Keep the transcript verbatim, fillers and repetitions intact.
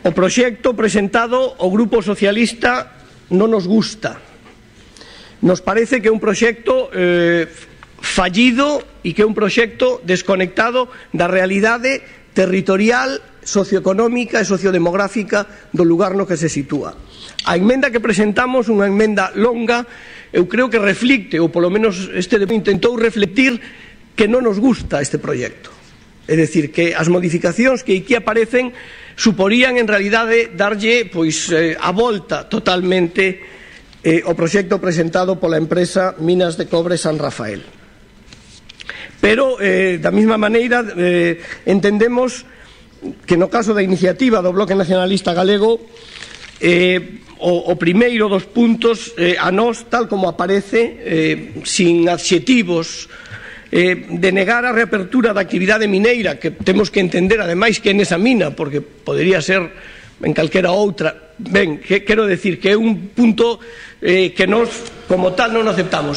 O proxecto presentado ao Grupo Socialista non nos gusta. Nos parece que é un proxecto eh, fallido e que é un proxecto desconectado da realidade territorial, socioeconómica e sociodemográfica do lugar no que se sitúa. A emenda que presentamos, unha emenda longa, eu creo que reflicte, ou polo menos este debate intentou reflectir, que non nos gusta este proxecto. É dicir, que as modificacións que aquí aparecen suporían en realidade darlle pois, eh, a volta totalmente eh, ao proxecto presentado pola empresa Minas de Cobre San Rafael. Pero, eh, da mesma maneira, eh, entendemos que no caso da iniciativa do Bloque Nacionalista Galego, eh, o, o primeiro dos puntos, eh, a nós, tal como aparece, eh, sin adxetivos, eh, de negar a reapertura da actividade mineira, que temos que entender, ademais, que é nesa mina, porque podería ser en calquera outra. Ben, que, quero decir que é un punto eh, que nós, como tal, non aceptamos.